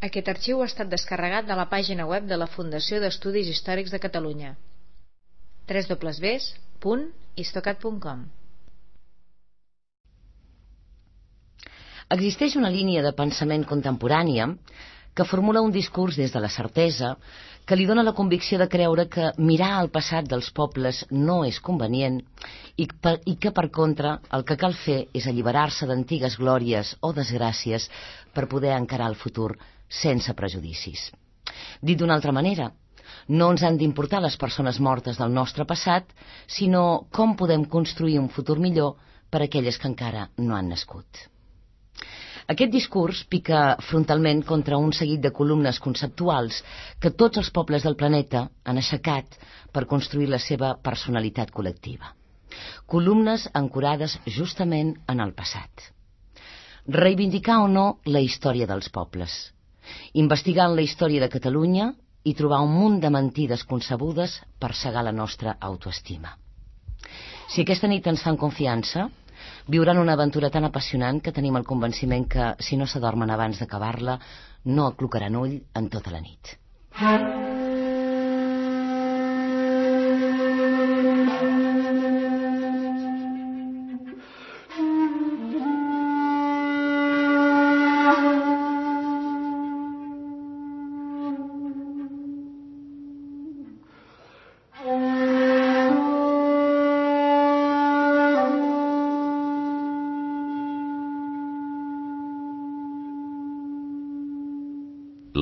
Aquest arxiu ha estat descarregat de la pàgina web de la Fundació d'Estudis Històrics de Catalunya, www.histocat.com. Existeix una línia de pensament contemporània que formula un discurs des de la certesa que li dona la convicció de creure que mirar al passat dels pobles no és convenient i que, per contra, el que cal fer és alliberar-se d'antigues glòries o desgràcies per poder encarar el futur sense prejudicis. Dit d'una altra manera, no ens han d'importar les persones mortes del nostre passat, sinó com podem construir un futur millor per a aquelles que encara no han nascut. Aquest discurs pica frontalment contra un seguit de columnes conceptuals que tots els pobles del planeta han aixecat per construir la seva personalitat col·lectiva. Columnes ancorades justament en el passat. Reivindicar o no la història dels pobles. Investigant la història de Catalunya i trobar un munt de mentides concebudes per cegar la nostra autoestima. Si aquesta nit ens fan confiança, viuran una aventura tan apassionant que tenim el convenciment que, si no s'adormen abans d'acabar-la, no aclucaran ull en tota la nit.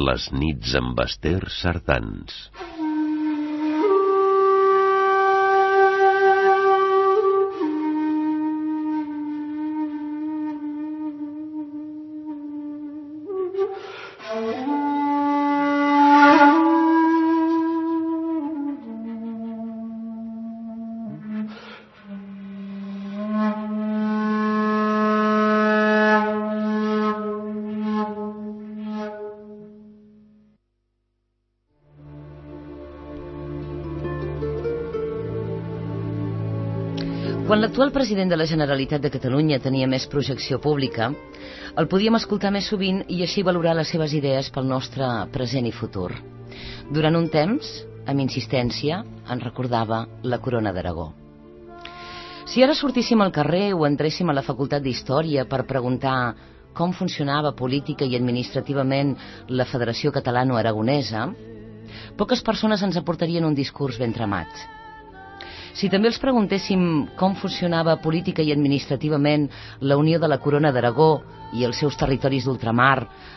Les nits amb Ester Sardans. Quan l'actual president de la Generalitat de Catalunya tenia més projecció pública, el podíem escoltar més sovint i així valorar les seves idees pel nostre present i futur. Durant un temps, amb insistència, ens recordava la Corona d'Aragó. Si ara sortíssim al carrer o entréssim a la Facultat d'Història per preguntar com funcionava política i administrativament la Federació Catalano-Aragonesa, poques persones ens aportarien un discurs ben tramat. Si també els preguntéssim com funcionava política i administrativament la unió de la Corona d'Aragó i els seus territoris d'ultramar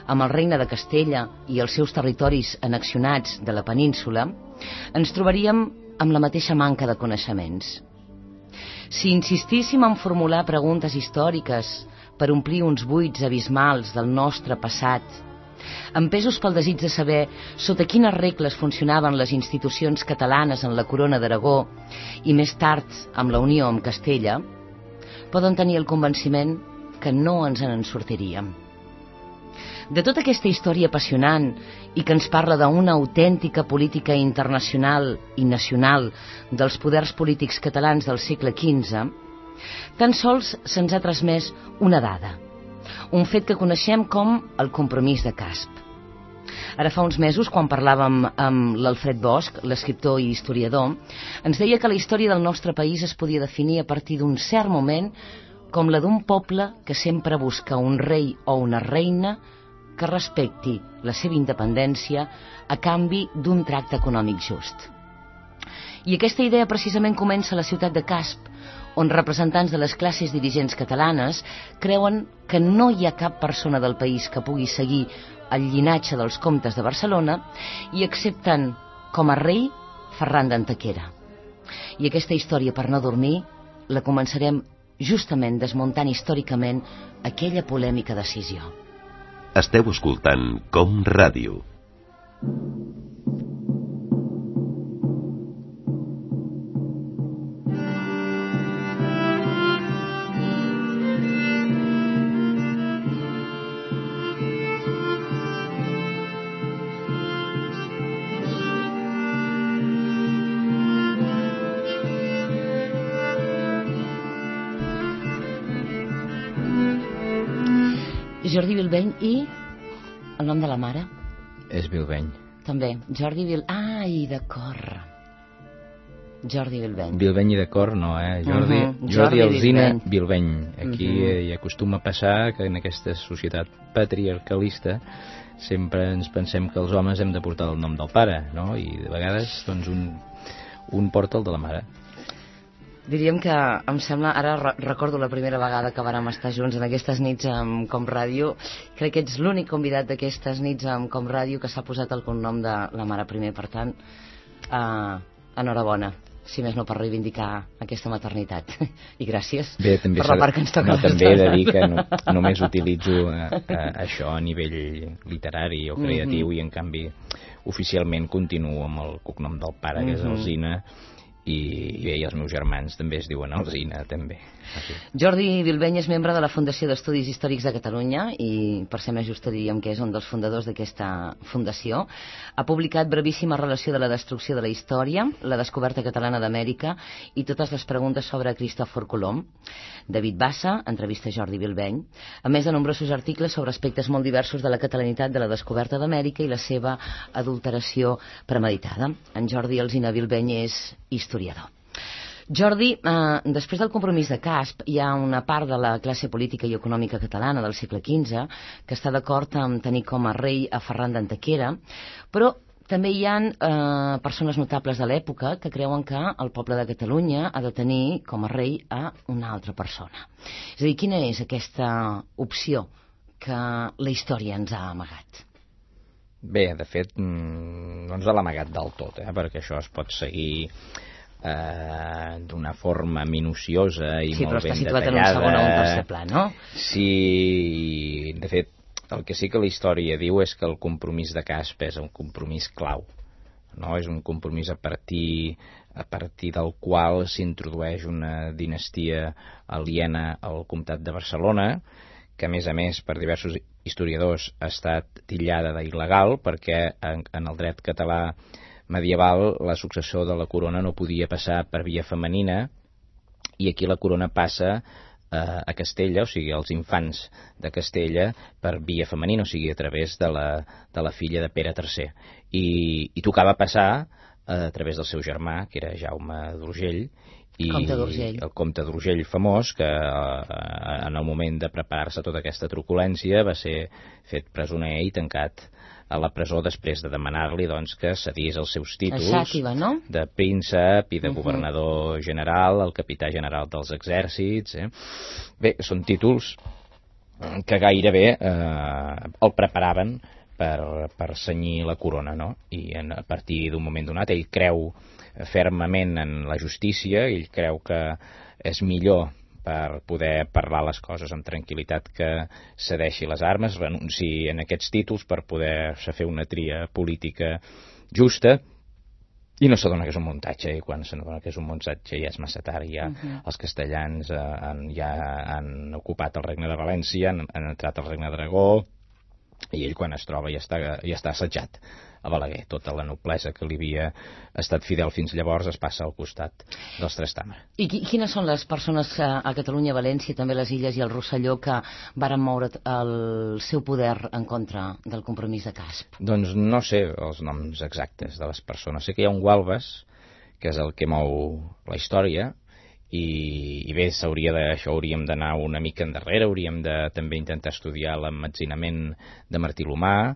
amb el Regne de Castella i els seus territoris annexionats de la península, ens trobaríem amb la mateixa manca de coneixements. Si insistíssim en formular preguntes històriques per omplir uns buits abismals del nostre passat, empesos pel desig de saber sota quines regles funcionaven les institucions catalanes en la Corona d'Aragó i més tard amb la unió amb Castella, poden tenir el convenciment que no ens en sortiríem. De tota aquesta història apassionant i que ens parla d'una autèntica política internacional i nacional dels poders polítics catalans del segle XV, tan sols se'ns ha transmès una dada, un fet que coneixem com el compromís de Casp. Ara fa uns mesos, quan parlàvem amb l'Alfred Bosch, l'escriptor i historiador, ens deia que la història del nostre país es podia definir a partir d'un cert moment com la d'un poble que sempre busca un rei o una reina que respecti la seva independència a canvi d'un tracte econòmic just. I aquesta idea precisament comença a la ciutat de Casp, on representants de les classes dirigents catalanes creuen que no hi ha cap persona del país que pugui seguir el llinatge dels comtes de Barcelona i accepten com a rei Ferran d'Antequera. I aquesta història per no dormir la començarem justament desmuntant històricament aquella polèmica decisió. Esteu escoltant Com Ràdio. Jordi Bilbeny i El nom de la mare? És Bilbeny. També. Jordi Ai, d'acord. Jordi Bilbeny. Bilbeny i d'acord, no, Jordi Alsina Bilbeny. Aquí hi acostuma a passar que en aquesta societat patriarcalista sempre ens pensem que els homes hem de portar el nom del pare, no? I de vegades, doncs, un porta el de la mare. Diríem que em sembla, ara recordo la primera vegada que vàrem estar junts en aquestes nits amb Com Ràdio, crec que ets l'únic convidat d'aquestes nits amb Com Ràdio que s'ha posat el cognom de la mare primer, per tant, enhorabona, si més no per reivindicar aquesta maternitat. I gràcies per la part que ens toca. També he de dir que només utilitzo això a nivell literari o creatiu i en canvi oficialment continuo amb el cognom del pare, que és Alsina, i els meus germans també es diuen Alsina, també. Així. Jordi Bilbeny és membre de la Fundació d'Estudis Històrics de Catalunya i, per ser més justa, diríem que és un dels fundadors d'aquesta fundació. Ha publicat Brevíssima relació de la destrucció de la història, la descoberta catalana d'Amèrica i totes les preguntes sobre Cristòfor Colom. David Bassa entrevista Jordi Bilbeny, a més de nombrosos articles sobre aspectes molt diversos de la catalanitat de la descoberta d'Amèrica i la seva adulteració premeditada. En Jordi Alsina Bilbeny és historiador. Jordi, després del compromís de Casp, hi ha una part de la classe política i econòmica catalana del segle XV que està d'acord amb tenir com a rei a Ferran d'Antequera, però també hi ha persones notables de l'època que creuen que el poble de Catalunya ha de tenir com a rei a una altra persona. És a dir, quina és aquesta opció que la història ens ha amagat? Bé, de fet, no ens l'ha amagat del tot, perquè això es pot seguir d'una forma minuciosa i molt ben detallada. Sí, però està situat en un segon o un tercer pla, no? Sí, de fet, el que sí que la història diu és que el compromís de Casp és un compromís clau, no? És un compromís a partir del qual s'introdueix una dinastia aliena al comtat de Barcelona, que a més, per diversos historiadors ha estat titllada d'il·legal perquè en el dret català medieval la successó de la corona no podia passar per via femenina i aquí la corona passa a Castella, o sigui, els infants de Castella per via femenina, o sigui, a través de la filla de Pere III. I tocava passar a través del seu germà, que era Jaume d'Urgell, el comte d'Urgell famós, que en el moment de preparar-se tota aquesta truculència va ser fet presoner i tancat a la presó després de demanar-li doncs, que cedís els seus títols de príncep i de governador general, el capità general dels exèrcits. Bé, són títols que gairebé el preparaven per cenyir la corona, no? I a partir d'un moment donat ell creu fermament en la justícia, ell creu que és millor per poder parlar les coses amb tranquil·litat que cedeixi les armes, renunciï en aquests títols per poder-se fer una tria política justa i no s'adona que és un muntatge, i quan s'adona que és un muntatge ja és massa tard, ja els castellans ja han ocupat el regne de València, han entrat al regne d'Aragó i ell quan es troba ja està assetjat a Balaguer. Tota la noblesa que li havia estat fidel fins llavors es passa al costat dels Trastàmara. I quines són les persones a Catalunya, València, també les Illes i el Rosselló que varen moure el seu poder en contra del compromís de Casp? Doncs no sé els noms exactes de les persones. Sé que hi ha un Gualbes, que és el que mou la història, i bé, això hauríem d'anar una mica endarrere, hauríem de també intentar estudiar l'emmetzinament de Martí l'Humà,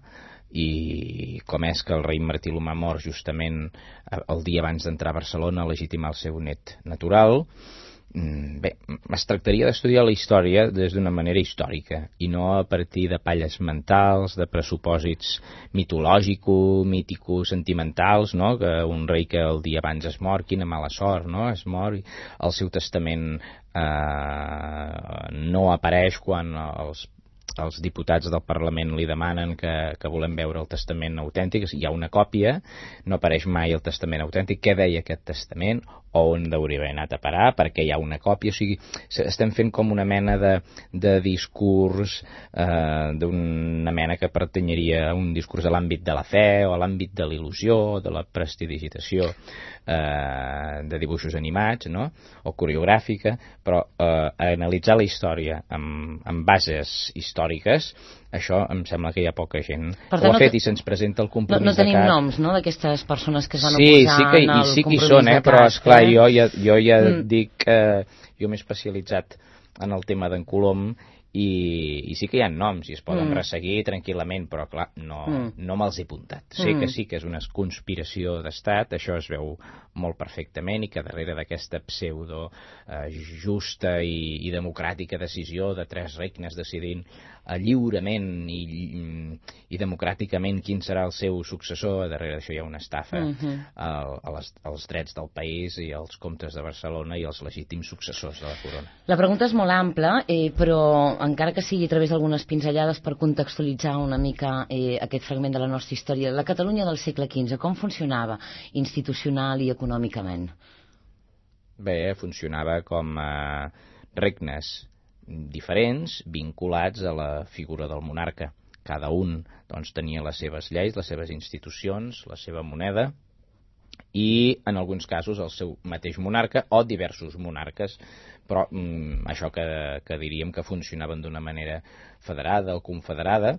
i com és que el rei Martí l'Humà mor justament el dia abans d'entrar a Barcelona a legitimar el seu net natural. Bé, es tractaria d'estudiar la història des d'una manera històrica i no a partir de palles mentals, de pressupòsits mitològicos, míticos, sentimentals, no? Que un rei que el dia abans es mor, quina mala sort, no? Es mor i el seu testament no apareix quan els diputats del Parlament li demanen que volem veure el testament autèntic. Hi ha una còpia, no apareix mai el testament autèntic. Què deia aquest testament? On hauria haver anat a parar? Perquè hi ha una còpia. O sigui, estem fent com una mena de discurs, d'una mena que pertanyeria a un discurs a l'àmbit de la fe o a l'àmbit de l'il·lusió, de la prestidigitació de dibuixos animats, no? O coreogràfica, però analitzar la història amb bases històriques, això em sembla que hi ha poca gent que ho ha fet i se'ns presenta el compromís no tenim noms, no?, d'aquestes persones que es van oposar en el compromís de CAT. Sí que hi són, però esclar, jo ja dic que jo m'he especialitzat en el tema d'en Colom i sí que hi ha noms i es poden resseguir tranquil·lament, però clar, no me'ls he apuntat. Sé que sí que és una conspiració d'estat, això es veu molt perfectament, i que darrere d'aquesta pseudo justa i democràtica decisió de 3 regnes decidint lliurement i democràticament quin serà el seu successor, darrere d'això hi ha una estafa als drets del país i als comtes de Barcelona i als legítims successors de la corona. La pregunta és molt ampla, però encara que sigui a través d'algunes pinzellades per contextualitzar una mica aquest fragment de la nostra història, la Catalunya del segle XV, com funcionava institucional i econòmicament? Bé, funcionava com regnes diferents vinculats a la figura del monarca. Cada un doncs, tenia les seves lleis, les seves institucions, la seva moneda i, en alguns casos, el seu mateix monarca o diversos monarques, però això que diríem que funcionaven d'una manera federada o confederada.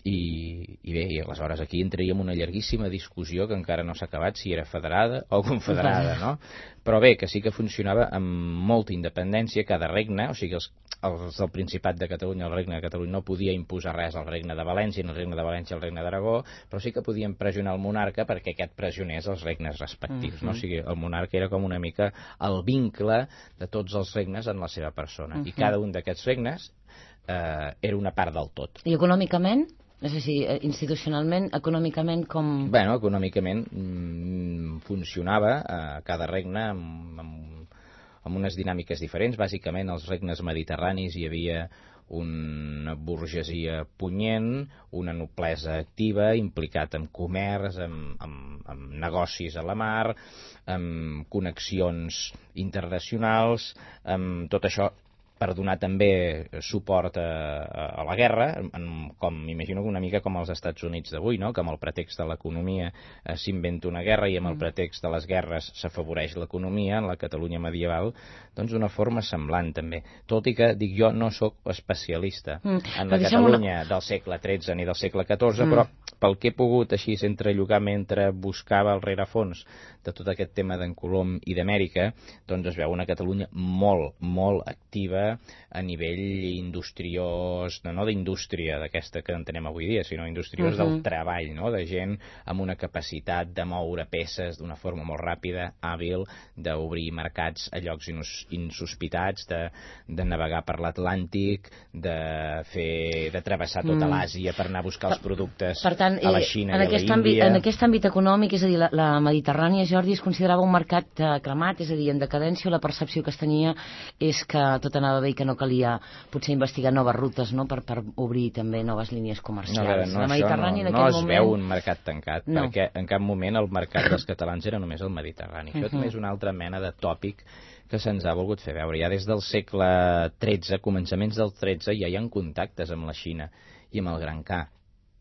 I bé, i aleshores aquí entraríem una llarguíssima discussió que encara no s'ha acabat si era federada o confederada, no? Però bé, que sí que funcionava amb molta independència cada regne, o sigui, els del Principat de Catalunya, el regne de Catalunya no podia imposar res al regne de València, ni el regne de València al regne d'Aragó, però sí que podien pressionar el monarca perquè aquest pressionés els regnes respectius, no? O sigui, el monarca era com una mica el vincle de tots els regnes en la seva persona, i cada un d'aquests regnes era una part del tot. I econòmicament? És a dir, institucionalment, econòmicament com... Bueno, econòmicament funcionava cada regne amb unes dinàmiques diferents. Bàsicament, als regnes mediterranis hi havia una burgesia punyent, una noblesa activa, implicat en comerç, amb negocis a la mar, amb connexions internacionals, amb tot això per donar també suport a la guerra, com m'imagino una mica com als Estats Units d'avui, no? Que amb el pretext de l'economia s'inventa una guerra i amb el pretext de les guerres s'afavoreix l'economia en la Catalunya medieval, doncs d'una forma semblant també. Tot i que, dic jo, no sóc especialista en la Catalunya del segle XIII ni del segle XIV, però pel que he pogut així entrellocar mentre buscava el rerefons de tot aquest tema d'en Colom i d'Amèrica, doncs es veu una Catalunya molt, molt activa a nivell industriós, no d'indústria d'aquesta que entenem avui dia, sinó industriós del treball, no? De gent amb una capacitat de moure peces d'una forma molt ràpida, hàbil, d'obrir mercats a llocs insospitats, de navegar per l'Atlàntic, de travessar tota l'Àsia per anar a buscar els productes a la Xina i a l'Índia. En aquest àmbit econòmic, és a dir, la Mediterrània, Jordi, es considerava un mercat cremat, és a dir, en decadència, la percepció que es tenia és que tot anava bé i que no calia potser investigar noves rutes, no?, per obrir també noves línies comercials. La Mediterrània en aquell moment... No es veu un mercat tancat, perquè en cap moment el mercat dels catalans era només el Mediterrani. Això també és una altra mena de tòpic que se'ns ha volgut fer veure. Ja des del segle XIII, començaments del XIII, ja hi ha contactes amb la Xina i amb el Gran Ca.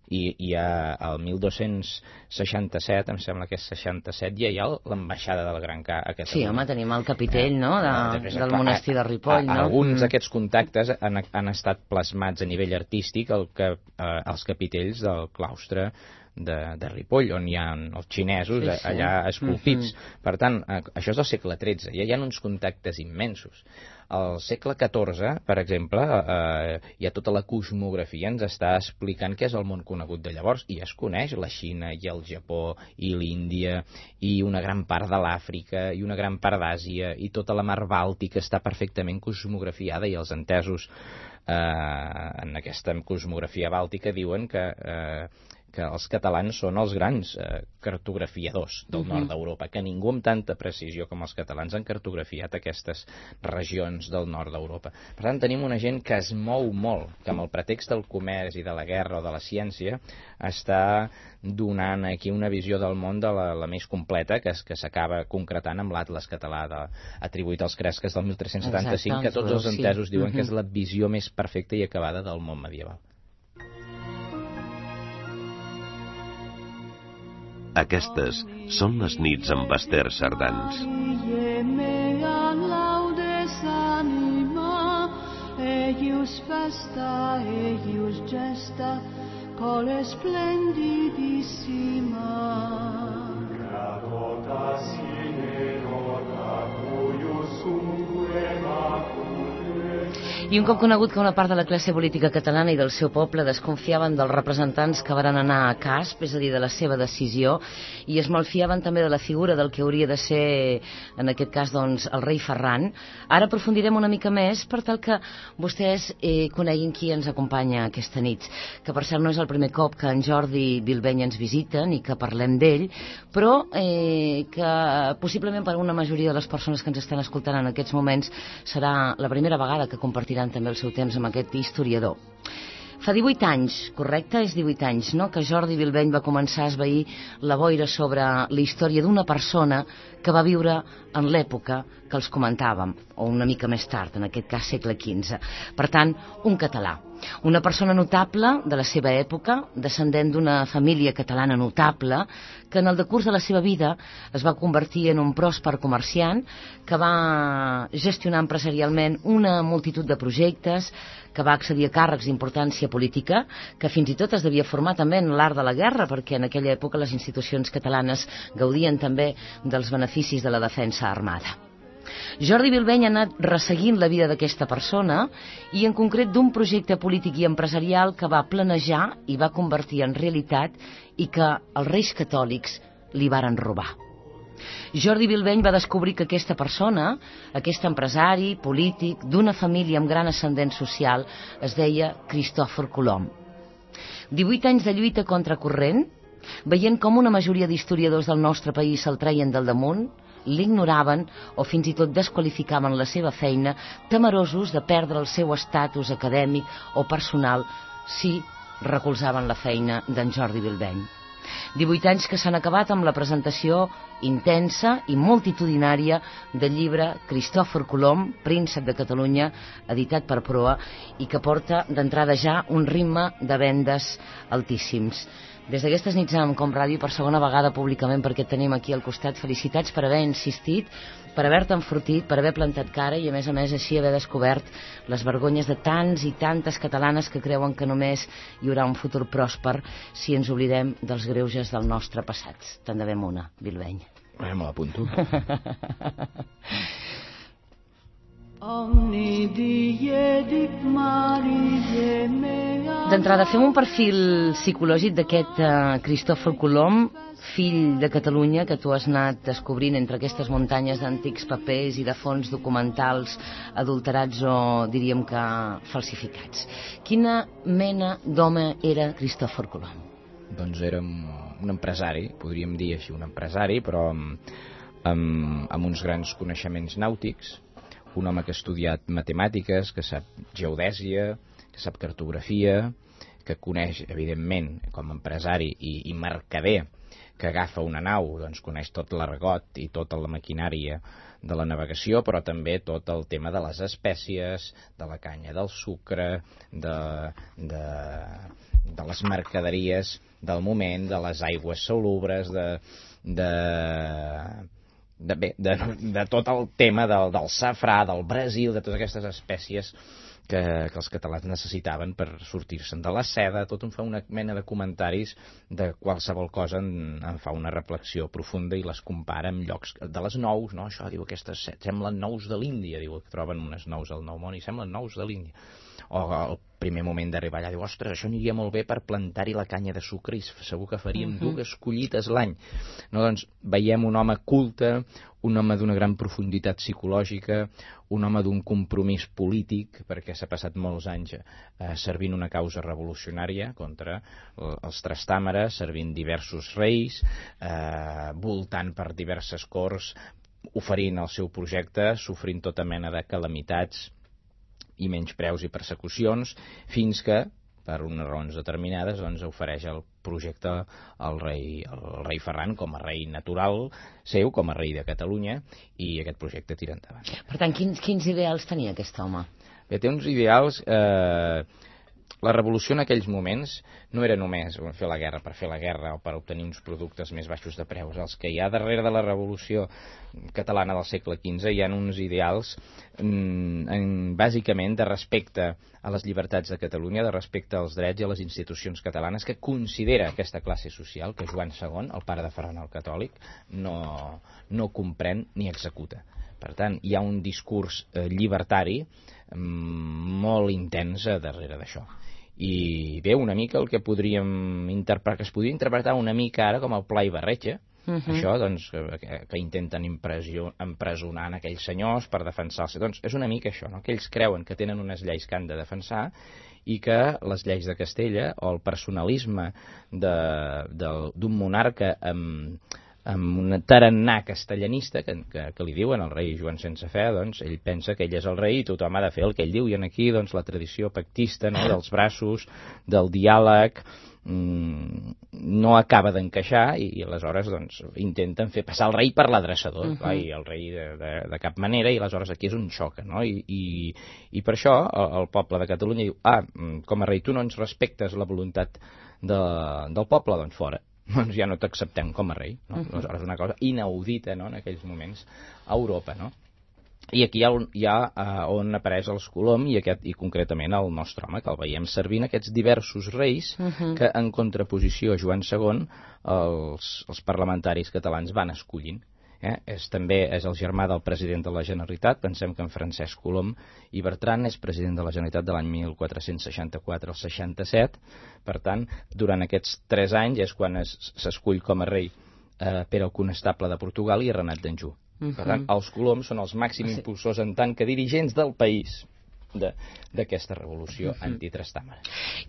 I al 1267, em sembla que és 67, ja hi ha l'ambaixada del Gran Ca a Catalunya. Sí, home, tenim el capitell, no?, del monestir de Ripoll, no? Alguns d'aquests contactes han estat plasmats a nivell artístic als capitells del claustre de Ripoll, on hi ha els xinesos allà esculpits. Per tant, això és del segle XIII, ja hi ha uns contactes immensos. Al segle XIV, per exemple, hi ha tota la cosmografia, ens està explicant què és el món conegut de llavors, i ja es coneix la Xina i el Japó i l'Índia i una gran part de l'Àfrica i una gran part d'Àsia i tota la mar Bàltica està perfectament cosmografiada, i els entesos en aquesta cosmografia bàltica diuen que els catalans són els grans cartografiadors del nord d'Europa, que ningú amb tanta precisió com els catalans han cartografiat aquestes regions del nord d'Europa. Per tant, tenim una gent que es mou molt, que amb el pretext del comerç i de la guerra o de la ciència està donant aquí una visió del món de la més completa, que s'acaba concretant amb l'Atles català atribuït als Cresques del 1375, que tots els entesos diuen que és la visió més perfecta i acabada del món medieval. Aquestes són les nits amb Ester Sardans. eius vesta, eius gesta, cole splendidissima. Gratota sine nota cuius umque macule. I un cop conegut que una part de la classe política catalana i del seu poble desconfiaven dels representants que van anar a Casp, és a dir, de la seva decisió, i es malfiaven també de la figura del que hauria de ser, en aquest cas, doncs, el rei Ferran, ara aprofundirem una mica més per tal que vostès coneguin qui ens acompanya aquesta nit, que per cert no és el primer cop que en Jordi Bilbeny ens visita ni que parlem d'ell, però que possiblement per a una majoria de les persones que ens estan escoltant en aquests moments serà la primera vegada que compartiran també el seu temps amb aquest historiador. Fa 18 anys, correcte? És 18 anys, no?, que Jordi Bilbeny va començar a esvair la boira sobre la història d'una persona que va viure en l'època que els comentàvem, o una mica més tard, en aquest cas segle XV. Per tant, un català. Una persona notable de la seva època, descendent d'una família catalana notable, que en el decurs de la seva vida es va convertir en un pròsper comerciant, que va gestionar empresarialment una multitud de projectes, que va accedir a càrrecs d'importància política, que fins i tot es devia formar també en l'art de la guerra, perquè en aquella època les institucions catalanes gaudien també dels beneficis de la defensa armada. Jordi Bilbeny ha anat resseguint la vida d'aquesta persona i en concret d'un projecte polític i empresarial que va planejar i va convertir en realitat i que els reis catòlics li varen robar. Jordi Bilbeny va descobrir que aquesta persona, aquest empresari polític d'una família amb gran ascendent social, es deia Cristòfor Colom. 18 anys de lluita contracorrent, veient com una majoria d'historiadors del nostre país se'l treien del damunt, l'ignoraven o fins i tot desqualificaven la seva feina, temerosos de perdre el seu estatus acadèmic o personal si recolzaven la feina d'en Jordi Bilbeny. 18 anys que s'han acabat amb la presentació intensa i multitudinària del llibre Cristòfor Colom, príncep de Catalunya, editat per Proa, i que porta d'entrada ja un ritme de vendes altíssims. Des d'aquestes nits amb Com Ràdio, per segona vegada públicament, perquè et tenim aquí al costat, felicitats per haver insistit, per haver-te enfortit, per haver plantat cara i a més així haver descobert les vergonyes de tants i tantes catalanes que creuen que només hi haurà un futur pròsper si ens oblidem dels greuges del nostre passat. Te'n devem una, Bilbeny. Me l'apunto. D'entrada, fem un perfil psicològic d'aquest Cristòfor Colom, fill de Catalunya, que tu has anat descobrint entre aquestes muntanyes d'antics papers i de fons documentals adulterats o, diríem que, falsificats. Quina mena d'home era Cristòfor Colom? Doncs era un empresari, podríem dir així, un empresari, però amb uns grans coneixements nàutics, un home que ha estudiat matemàtiques, que sap geodèsia, que sap cartografia, que coneix, evidentment, com a empresari i mercader, que agafa una nau, doncs coneix tot l'argot i tota la maquinària de la navegació, però també tot el tema de les espècies, de la canya, del sucre, de les mercaderies del moment, de les aigües salubres, de tot el tema del safrà, del Brasil, de totes aquestes espècies que els catalans necessitaven per sortir-se'n de la seda. Tot em fa una mena de comentaris de qualsevol cosa, en fa una reflexió profunda i les compara amb llocs de les nous, no? Això, diu, aquestes semblen nous de l'Índia, diu, que troben unes nous al Nou Món i semblen nous de l'Índia. O al primer moment d'arribar allà, diu, ostres, això aniria molt bé per plantar-hi la canya de sucre i segur que faríem 2 collites l'any. No, doncs veiem un home culte, un home d'una gran profunditat psicològica, un home d'un compromís polític, perquè s'ha passat molts anys servint una causa revolucionària contra els trastàmeres, servint diversos reis, voltant per diverses corts, oferint el seu projecte, sofrint tota mena de calamitats i menyspreus i persecucions, fins que, per unes raons determinades, doncs ofereix el projecte al rei Ferran com a rei natural seu, com a rei de Catalunya, i aquest projecte tira endavant. Per tant, quins ideals tenia aquest home? Bé, té uns ideals la revolució en aquells moments no era només fer la guerra per fer la guerra o per obtenir uns productes més baixos de preus. Els que hi ha darrere de la revolució catalana del segle XV hi ha uns ideals bàsicament de respecte a les llibertats de Catalunya, de respecte als drets i a les institucions catalanes, que considera aquesta classe social que Joan II, el pare de Ferran el Catòlic, no comprèn ni executa. Per tant, hi ha un discurs llibertari molt intens darrere d'això. I bé, una mica el que que es podria interpretar una mica ara com el Pla i Barreja, això, doncs, que intenten empresonar en aquells senyors per defensar-se. Doncs és una mica això, no? Que ells creuen que tenen unes lleis que han de defensar i que les lleis de Castella o el personalisme d'un monarca amb un tarannà castellanista que li diuen el rei Joan sense fe, doncs ell pensa que ell és el rei i tothom ha de fer el que ell diu, i aquí doncs la tradició pactista, no?, dels braços, del diàleg, no acaba d'encaixar i aleshores doncs intenten fer passar el rei per l'adreçador, i el rei de cap manera, i aleshores aquí és un xoc, no? I per això el poble de Catalunya diu, com a rei tu no ens respectes la voluntat del poble, doncs fora, doncs ja no t'acceptem com a rei, no? Aleshores una cosa inaudita, no?, en aquells moments a Europa, no? I aquí hi ha on apareix els Colom i concretament el nostre home, que el veiem servint aquests diversos reis que en contraposició a Joan II els parlamentaris catalans van escollint. També és el germà del president de la Generalitat. Pensem que en Francesc Colom i Bertran és president de la Generalitat de l'any 1464 al 67. Per tant, durant aquests 3 anys és quan s'escull com a rei Pere el Conestable de Portugal i Renat d'Anjou. Per tant, els Coloms són els màxims impulsors en tant que dirigents del país d'aquesta revolució antitrastàmara.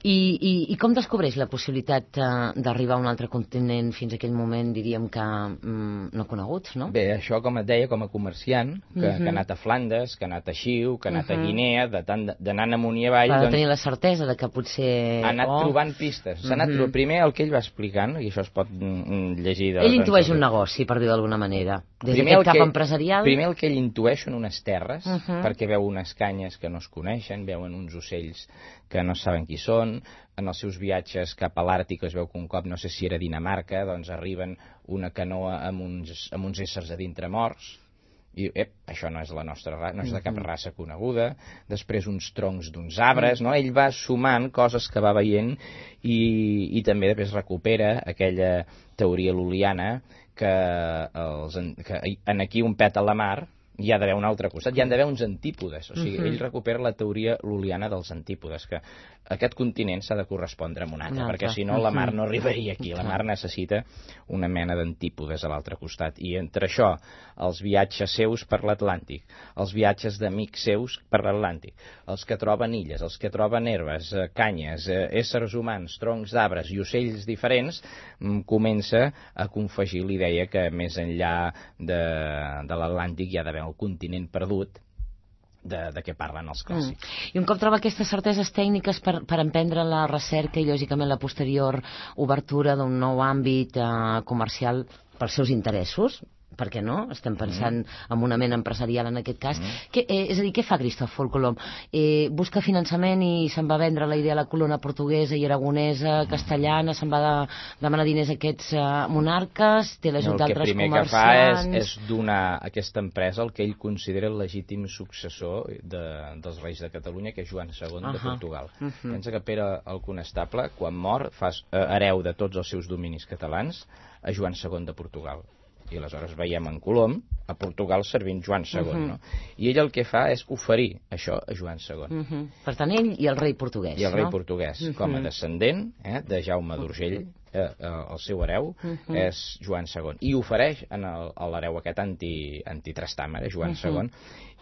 I com descobreix la possibilitat d'arribar a un altre continent fins a aquell moment, diríem que no coneguts, no? Bé, això, com et deia, com a comerciant, que ha anat a Flandes, que ha anat a Xiu, que ha anat a Guinea, d'anant amunt i avall... Ha de tenir la certesa de que potser... Ha anat trobant pistes. Primer el que ell va explicant, i això es pot llegir... Ell intueix un negoci, per dir d'alguna manera. Des d'aquest cap empresarial... Primer el que ell intueix són unes terres, perquè veu unes canyes que no es coneixen, veuen uns ocells que no saben qui són. En els seus viatges cap a l'Àrtic es veu que un cop, no sé si era Dinamarca, doncs arriben una canoa amb uns éssers a dintre morts, i això no és la nostra raça, no és de cap raça coneguda. Després uns troncs d'uns arbres, no? Ell va sumant coses que va veient i també després recupera aquella teoria lul·liana que en aquí un pet a la mar hi ha d'haver un altre costat, hi ha d'haver uns antípodes. O sigui, ell recupera la teoria lul·liana dels antípodes, que aquest continent s'ha de correspondre amb un altre, perquè si no la mar no arribaria aquí. La mar necessita una mena d'antípodes a l'altre costat. I entre això, els viatges seus per l'Atlàntic, els viatges d'amics seus per l'Atlàntic, els que troben illes, els que troben herbes, canyes, éssers humans, troncs d'arbres i ocells diferents, comença a confegir l'idea que més enllà de l'Atlàntic hi ha d'haver el continent perdut de què parlen els clàssics. I un cop troba aquestes certeses tècniques per emprendre la recerca i lògicament la posterior obertura d'un nou àmbit comercial pels seus interessos, per què no? Estem pensant en una ment empresarial en aquest cas. És a dir, què fa Cristòfol Colom? Busca finançament i se'n va vendre la idea a la corona portuguesa i aragonesa, castellana, se'n va demanar diners a aquests monarques, té l'ajut d'altres comerciants... El primer que fa és donar a aquesta empresa el que ell considera el legítim successor dels reis de Catalunya, que és Joan II de Portugal. Pensa que Pere el Conestable, quan mor, fa hereu de tots els seus dominis catalans a Joan II de Portugal. I aleshores veiem en Colom a Portugal servint Joan II, no? I ell el que fa és oferir això a Joan II. Per tant, ell i el rei portuguès, no? I el rei portuguès, com a descendent de Jaume d'Urgell, el seu hereu és Joan II. I ofereix a l'hereu aquest antitrastàmera, Joan II,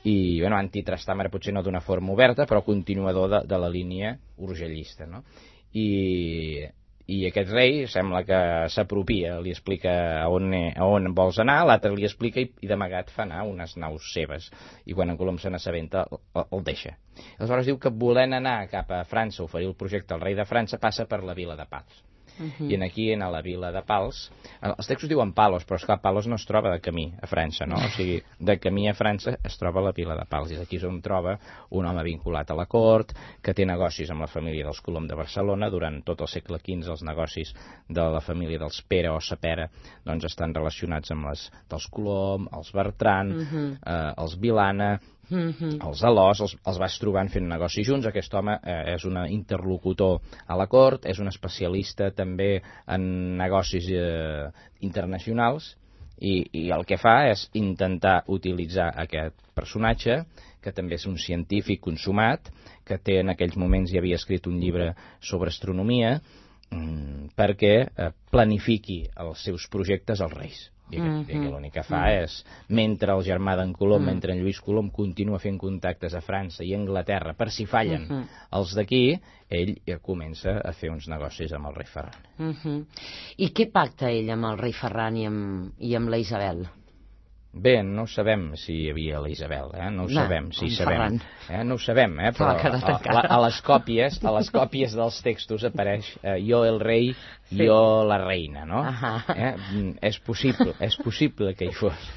i, bueno, antitrastàmera potser no d'una forma oberta, però continuador de la línia urgellista, no? I aquest rei sembla que s'apropia, li explica a on vols anar, l'altre li explica i d'amagat fa anar unes naus seves. I quan en Colom se n'assabenta, el deixa. Aleshores diu que volent anar cap a França a oferir el projecte al rei de França passa per la vila de Pals. i aquí, a la vila de Pals, els textos diuen Palos, però esclar, Palos no es troba de camí a França, no? O sigui, de camí a França es troba la vila de Pals, i aquí és on troba un home vinculat a la cort, que té negocis amb la família dels Colom de Barcelona. Durant tot el segle XV els negocis de la família dels Pere o Sapera doncs estan relacionats amb les dels Colom, els Bertran, els Vilana, els Alòs, els vas trobant fent negocis junts. Aquest home és un interlocutor a la cort, és un especialista també en negocis internacionals, i el que fa és intentar utilitzar aquest personatge, que també és un científic consumat, que té en aquells moments ja havia escrit un llibre sobre astronomia, perquè planifiqui els seus projectes als reis. I l'únic que fa és, mentre el germà d'en Colom, mentre en Lluís Colom continua fent contactes a França i a Anglaterra per si fallen els d'aquí, ell comença a fer uns negocis amb el rei Ferran. I què pacta ell amb el rei Ferran i amb la Isabel? Bé, no sabem si hi havia la Isabel, no ho sabem, si sabem. No ho sabem, però a les còpies dels textos apareix jo el rei, jo la reina, no? És possible que hi fos,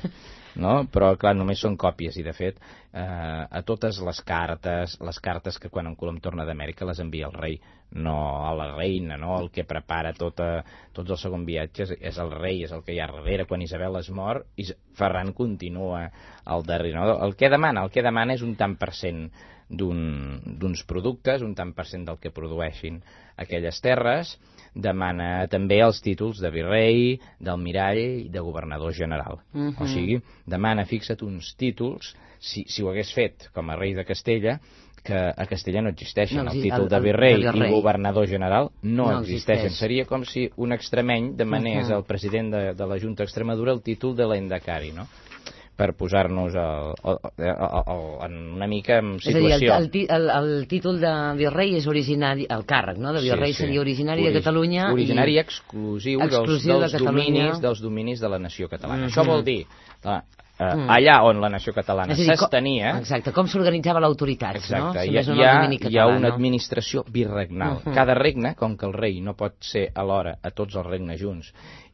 no? Però clar, només són còpies, i de fet a totes les cartes que quan en Colom torna d'Amèrica les envia el rei, no a la reina, no? El que prepara tots els segons viatges és el rei, és el que hi ha darrere. Quan Isabel es mor, Ferran continua al darrere, no? El que demana és un tant per cent d'uns productes, un tant per cent del que produeixin aquelles terres. Demana també els títols de virrei, d'almirall i de governador general. O sigui, demana, fixa't, uns títols, si ho hagués fet com a rei de Castella, que a Castella no existeixen. El títol de virrei i governador general no existeixen. Seria com si un extremeny demanés al president de la Junta d'Extremadura el títol de l'Endacari, no? Per posar-nos en una mica en situació. És a dir, el títol de virrei és originari, el càrrec, no?, de virrei seria originari de Catalunya. Originari exclusiu dels dominis de la nació catalana. Això vol dir, allà on la nació catalana s'estenia... Exacte, com s'organitzava l'autoritat, no? Hi ha una administració birregnal. Cada regne, com que el rei no pot ser alhora a tots els regnes junts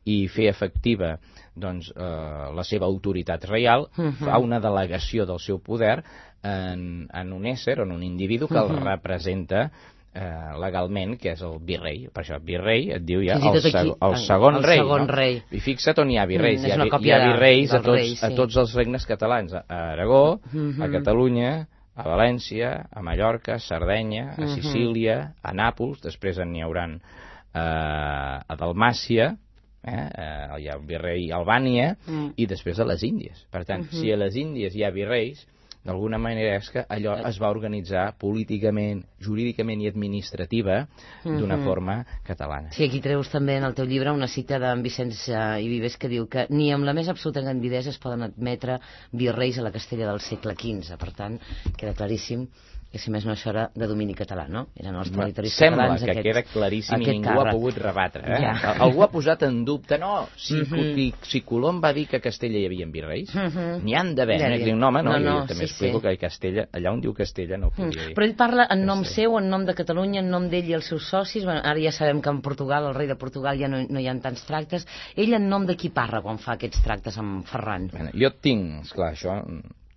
i fer efectiva la seva autoritat reial, fa una delegació del seu poder en un ésser, en un individu que el representa legalment, que és el virrei. Per això virrei et diu ja el segon rei. I fixa't on hi ha virreis. Hi ha virreis a tots els regnes catalans. A Aragó, a Catalunya, a València, a Mallorca, a Sardenya, a Sicília, a Nàpols, després n'hi hauran a Dalmàcia, hi ha virrei a Albània, i després a les Índies. Per tant, si a les Índies hi ha virreis, d'alguna manera és que allò es va organitzar políticament, jurídicament i administrativa d'una forma catalana. Sí, aquí treus també en el teu llibre una cita d'en Vicenç i Vives que diu que ni amb la més absoluta candidesa es poden admetre virreis a la Castella del segle XV. Per tant, queda claríssim que si més no això era de domini català, no? Eren els territoris catalans. Sembla que queda claríssim i ningú ha pogut rebatre. Algú ha posat en dubte, si Colom va dir que a Castella hi havia virreis, n'hi han d'haver. No, home, jo també explico que a Castella, allà on diu Castella no podia dir. Però ell parla en nom seu, en nom de Catalunya, en nom d'ell i els seus socis. Ara ja sabem que en Portugal, el rei de Portugal, ja no hi ha tants tractes. Ell en nom de qui parla quan fa aquests tractes amb Ferran? Jo tinc, esclar, això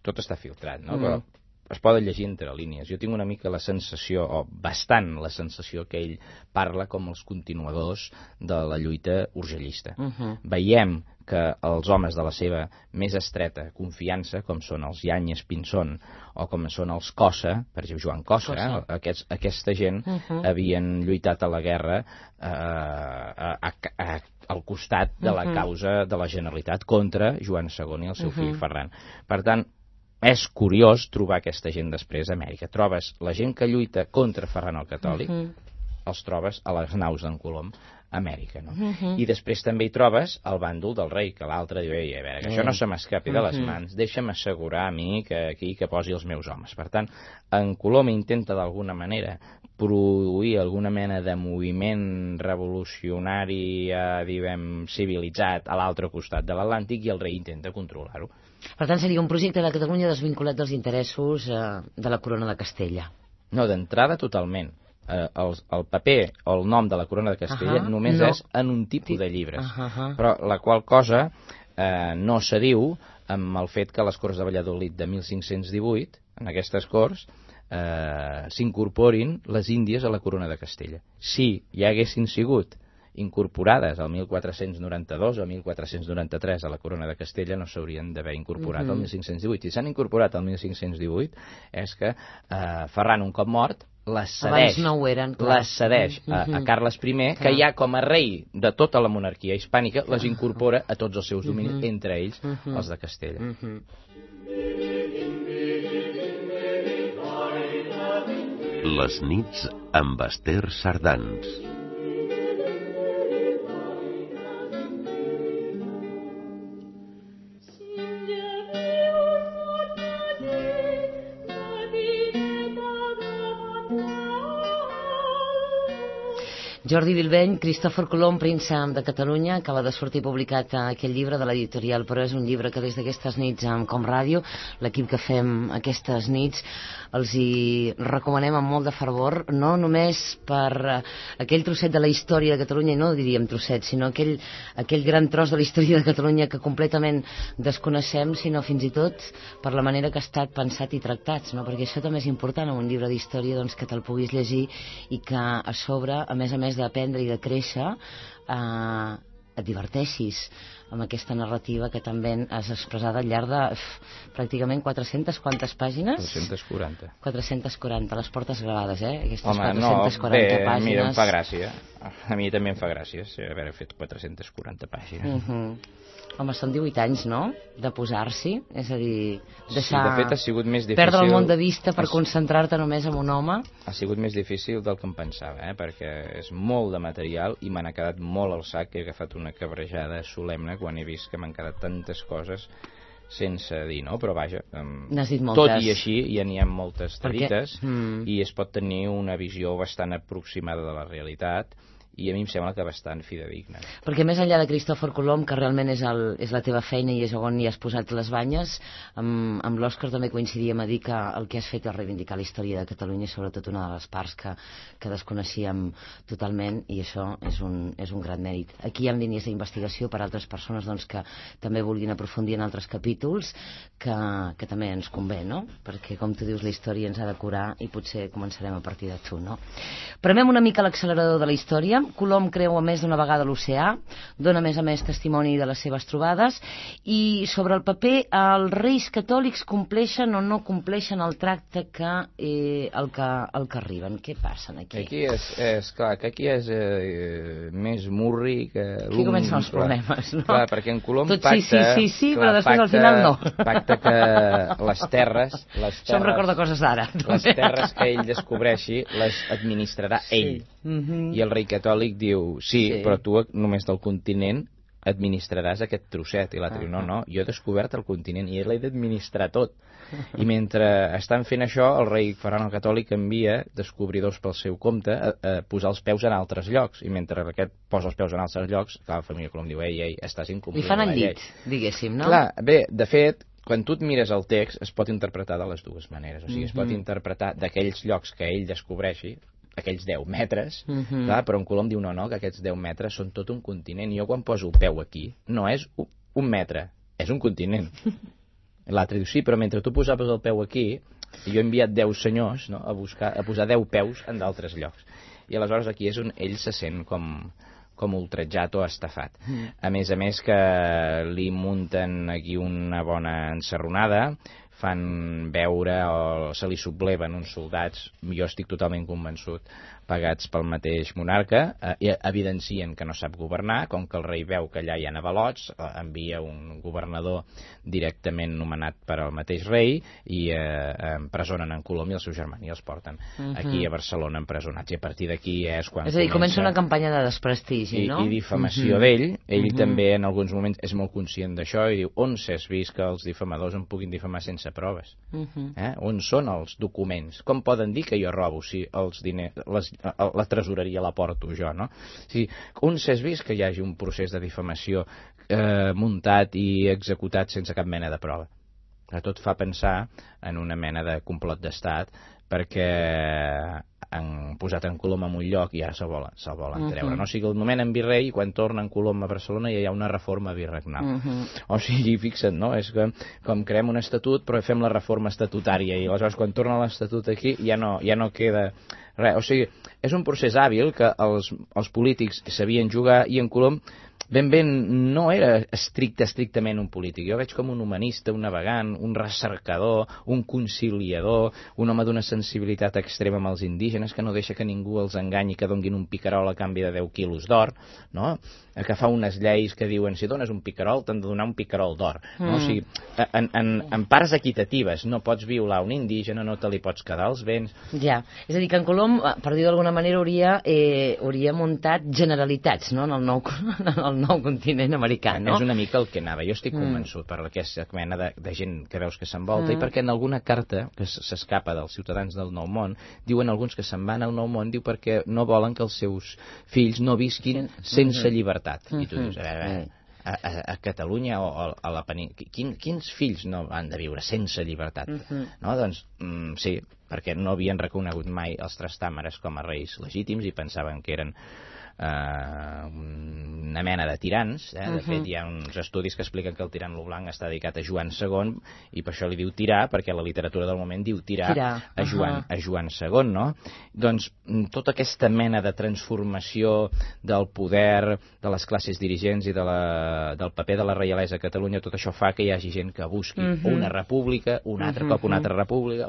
tot està filtrat, no? Però es poden llegir entre línies. Jo tinc una mica la sensació, o bastant la sensació, que ell parla com els continuadors de la lluita urgellista. Veiem que els homes de la seva més estreta confiança, com són els Yáñez Pinzón o com són els Cossa, per exemple Joan Cossa, aquesta gent havien lluitat a la guerra al costat de la causa de la Generalitat contra Joan II i el seu fill Ferran. Per tant, és curiós trobar aquesta gent després a Amèrica. Trobes la gent que lluita contra Ferran el Catòlic, els trobes a les naus d'en Colom a Amèrica, no? I després també hi trobes el bàndol del rei, que l'altre diu, a veure, que això no se m'escapi de les mans, deixa'm assegurar a mi que aquí que posi els meus homes. Per tant, en Colom intenta d'alguna manera produir alguna mena de moviment revolucionari, diguem, civilitzat a l'altre costat de l'Atlàntic, i el rei intenta controlar-ho. Per tant, seria un projecte de Catalunya desvinculat dels interessos de la corona de Castella. No, d'entrada totalment. el paper o el nom de la corona de Castella només és en un tipus de llibres. Però la qual cosa no s'adiu amb el fet que a les Corts de Valladolid de 1518, en aquestes Corts, s'incorporin les Índies a la corona de Castella. Si hi haguessin sigut incorporades al 1492 o 1493 a la corona de Castella, no s'haurien d'haver incorporat al 1518. Si s'han incorporat al 1518 és que Ferran, un cop mort, les cedeix a Carles I, que ja com a rei de tota la monarquia hispànica les incorpora a tots els seus dominis, entre ells els de Castella. Les nits amb Ester Sardans. Jordi Bilbeny, Cristòfor Colom, príncep de Catalunya, acaba de sortir publicat aquest llibre de l'editorial, però és un llibre que des d'aquestes nits amb Com Ràdio, l'equip que fem aquestes nits, els hi recomanem amb molt de fervor, no només per aquell trosset de la història de Catalunya, i no diríem trosset, sinó aquell gran tros de la història de Catalunya que completament desconeixem, sinó fins i tot per la manera que ha estat pensat i tractat, no? Perquè això també és important en un llibre d'història, doncs, que te'l puguis llegir i que a sobre, a més d'aprendre i de créixer, et diverteixis amb aquesta narrativa que també has expressat al llarg de pràcticament 400, quantes pàgines? 440. 440, les portes gravades, Aquestes 440 pàgines. Home, mira, em fa gràcia. A mi també em fa gràcia haver fet 440 pàgines. Home, són 18 anys, no?, de posar-s'hi, és a dir, deixar... Sí, de fet ha sigut més difícil... Perdre el món de vista per concentrar-te només en un home. Ha sigut més difícil del que em pensava, perquè és molt de material i me n'ha quedat molt al sac, he agafat una cabrejada solemne quan he vist que m'han quedat tantes coses sense dir, no? Però vaja, tot i així ja n'hi ha moltes dites i es pot tenir una visió bastant aproximada de la realitat i a mi em sembla que bastant fidedigna. Perquè més enllà de Cristòfor Colom, que realment és la teva feina i és on hi has posat les banyes, amb l'Òscar també coincidíem a dir que el que has fet és reivindicar la història de Catalunya, sobretot una de les parts que desconeixíem totalment, i això és un gran mèrit. Aquí hi ha línies d'investigació per a altres persones doncs, que també vulguin aprofundir en altres capítols, que també ens convé, no? Perquè, com tu dius, la història ens ha de curar i potser començarem a partir de tu, no? Premem una mica l'accelerador de la història. Colom creua més d'una vegada l'oceà, dona a més testimoni de les seves trobades, i sobre el paper els reis catòlics compleixen o no compleixen el tracte el que arriben. Què passa aquí? Aquí és clar, que aquí és més murri que... Aquí comencen els problemes, no? Clar, perquè en Colom tot pacta... Sí, però després al final no. Pacta que les terres... Això em recorda coses d'ara. Les terres que ell descobreixi les administrarà ell. I el rei catòlic diu, sí, però tu només del continent administraràs aquest trosset. I l'altre diu, no, jo he descobert el continent i ell l'he d'administrar tot. I mentre estan fent això, el rei Ferran el Catòlic envia descobridors pel seu compte a posar els peus en altres llocs. I mentre aquest posa els peus en altres llocs, la família Colom diu, ei, estàs incomplint la llei. Li fan el llit, diguéssim, no? Clar, bé, de fet, quan tu et mires el text, es pot interpretar de les dues maneres. O sigui, es pot interpretar d'aquells llocs que ell descobreixi, aquells 10 metres, clar, però en Colom diu no, que aquests 10 metres són tot un continent. Jo quan poso el peu aquí, no és un metre, és un continent. L'altre diu, sí, però mentre tu posaves el peu aquí, jo he enviat 10 senyors, no, a posar 10 peus en d'altres llocs. I aleshores aquí és on ell se sent com ultratjat o estafat. A més que li munten aquí una bona ensarronada, fan veure o se li subleven uns soldats, jo estic totalment convençut, pagats pel mateix monarca, evidencien que no sap governar, com que el rei veu que allà hi ha avalots, envia un governador directament nomenat per al mateix rei i empresonen en Colom i el seu germà i els porten aquí a Barcelona empresonats, i a partir d'aquí és quan és a dir, comença una campanya de desprestigi, no? I difamació d'ell. Ell també en alguns moments és molt conscient d'això i diu, on s'has vist que els difamadors em puguin difamar sense proves? On són els documents? Com poden dir que jo robo si els diners, la tresoreria la porto jo, no? Si on s'has vist que hi hagi un procés de difamació muntat i executat sense cap mena de prova? Tot fa pensar en una mena de complot d'estat, perquè han posat en Colom en un lloc i ara se'l volen treure. No? O sigui, el nomenen virrei i quan torna en Colom a Barcelona ja hi ha una reforma virregnal. O sigui, fixa't, no? És que com creem un estatut però fem la reforma estatutària i aleshores quan torna l'estatut aquí ja no queda res. O sigui, és un procés hàbil que els polítics sabien jugar i en Colom ben no era estrictament un polític. Jo veig com un humanista, un navegant, un recercador, un conciliador, un home d'una sensibilitat extrema amb els indígenes que no deixa que ningú els enganyi, que donguin un picarol a canvi de 10 quilos d'or, no? Que fa unes lleis que diuen si dones un picarol t'han de donar un picarol d'or. No? O sigui, en parts equitatives no pots violar un indígena, no te li pots quedar els béns. Ja, és a dir, que en Colom, per dir d'alguna manera, hauria muntat generalitats, no?, en el nou continent americà, no? És una mica el que anava. Jo estic convençut per aquesta mena de gent que veus que s'envolta i perquè en alguna carta que s'escapa dels ciutadans del Nou Món diuen alguns que se'n van al Nou Món diu perquè no volen que els seus fills no visquin sense llibertat. I tu dius, a Catalunya o a la península, quins fills no han de viure sense llibertat? No? Doncs sí, perquè no havien reconegut mai els trastàmeres com a reis legítims i pensaven que eren una mena de tirans. De fet, hi ha uns estudis que expliquen que el tirant lo blanc està dedicat a Joan II i per això li diu tirar, perquè la literatura del moment diu tirar a Joan II, no? Doncs tota aquesta mena de transformació del poder de les classes dirigents i del paper de la reialesa a Catalunya, tot això fa que hi hagi gent que busqui una república, un altre cop una altra república,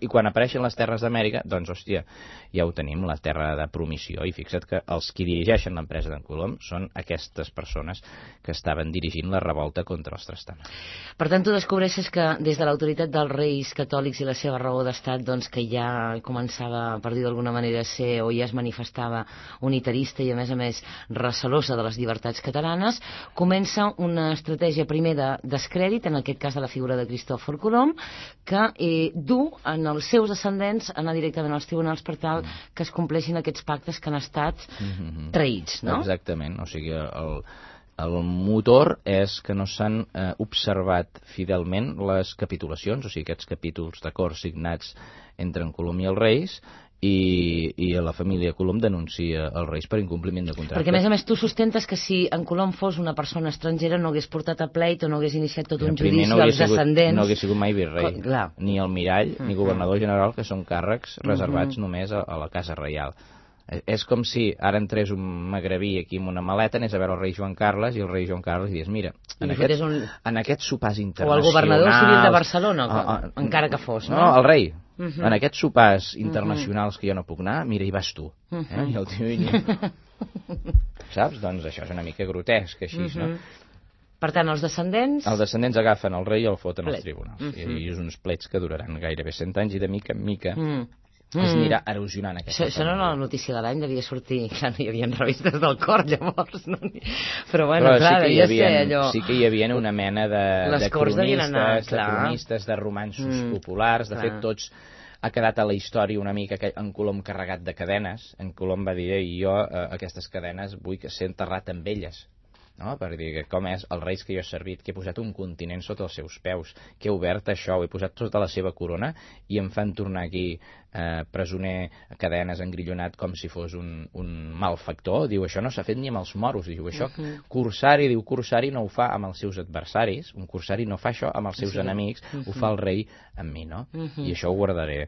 i quan apareixen les terres d'Amèrica, doncs, hòstia, ja ho tenim, la terra de promissió, i fixa't que els qui dirigeixen l'empresa d'en Colom són aquestes persones que estaven dirigint la revolta contra els trastamers. Per tant, tu descobreixes que des de l'autoritat dels reis catòlics i la seva raó d'estat, doncs que ja començava, per dir d'alguna manera, a ser o ja es manifestava unitarista i a més recelosa de les llibertats catalanes, comença una estratègia primer de descrèdit, en aquest cas de la figura de Cristòfor Colom, que du en els seus descendents anar directament als tribunals per tal que es compleixin aquests pactes que han estat traïts, no? Exactament, o sigui, el motor és que no s'han observat fidelment les capitulacions, o sigui, aquests capítols d'acords signats entre en Colom i els reis, i la família Colom denuncia els reis per incompliment de contracte. Perquè, a més, tu sustentes que si en Colom fos una persona estrangera no hagués portat a pleit o no hagués iniciat tot un judici als descendents... No hagués sigut mai virrei, ni almirall, ni governador general, que són càrrecs reservats només a la Casa Reial. És com si ara entrés un magrebí aquí amb una maleta, anés a veure el rei Joan Carles i el rei Joan Carles digués, mira, en aquests sopars internacionals... O el governador civil de Barcelona, encara que fos, no? No, el rei. En aquests sopars internacionals que jo no puc anar, mira, hi vas tu. I el tio... Saps? Doncs això és una mica grotesc, així, no? Per tant, els descendents... Els descendents agafen el rei i el foten als tribunals. I és uns plets que duraran gairebé 100 anys i de mica en mica... es anirà erosionant aquesta... Això no era la notícia de l'any, devia sortir... Clar, no hi havia revistes del cor, llavors, no? Però, bueno, clar, devia ser allò... Sí que hi havia una mena de cronistes, de romanços populars, de fet, tots... Ha quedat a la història una mica en Colom carregat de cadenes. En Colom va dir, jo aquestes cadenes vull que ser enterrat amb elles. No? Per dir que com és els reis que jo he servit, que he posat un continent sota els seus peus, que he obert això, ho he posat sota la seva corona i em fan tornar aquí presoner a cadenes, engrillonat com si fos un malfactor. Diu, això no s'ha fet ni amb els moros. Diu, això Corsari no ho fa amb els seus adversaris, un corsari no fa això amb els seus enemics, ho fa el rei amb mi, no? I això ho guardaré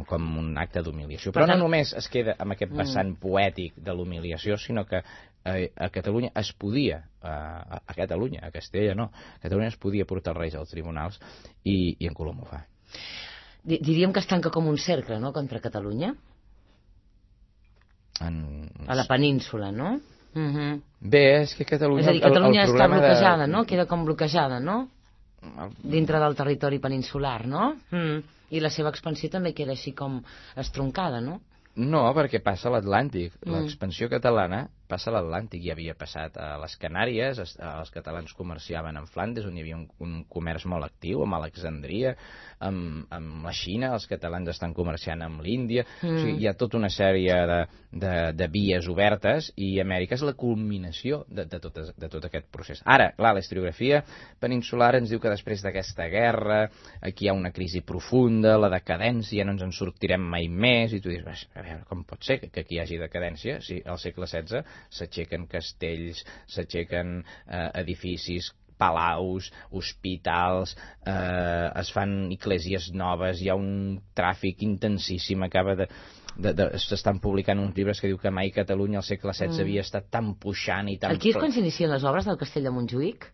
com un acte d'humiliació. Però no només es queda amb aquest vessant poètic de l'humiliació, sinó que a Catalunya es podia, a Castella no, a Catalunya es podia portar els reis als tribunals i en Colom ho fa. Diríem que es tanca com un cercle, no?, contra Catalunya? A la península, no? Bé, és que Catalunya... És a dir, Catalunya està bloquejada, no? Queda com bloquejada, no? Dintre del territori peninsular, no? I la seva expansió també queda així com estroncada, no? No, perquè passa a l'Atlàntic. L'expansió catalana passa a l'Atlàntic. Ja havia passat a les Canàries, els catalans comerciaven amb Flandes, on hi havia un comerç molt actiu, amb Alexandria, amb la Xina, els catalans estan comerciant amb l'Índia. O sigui, hi ha tota una sèrie de vies obertes, i Amèrica és la culminació de tot aquest procés. Ara, clar, la historiografia peninsular ens diu que després d'aquesta guerra aquí hi ha una crisi profunda, la decadència, no ens en sortirem mai més, i tu dius, a veure, com pot ser que aquí hi hagi decadència si al segle XVI s'aixequen castells, s'aixequen edificis, palaus, hospitals, es fan esglésies noves, hi ha un tràfic intensíssim, s'estan publicant uns llibres que diu que mai Catalunya al segle XVI havia estat tan puixant i tan... Aquí és quan s'inicien les obres del castell de Montjuïc?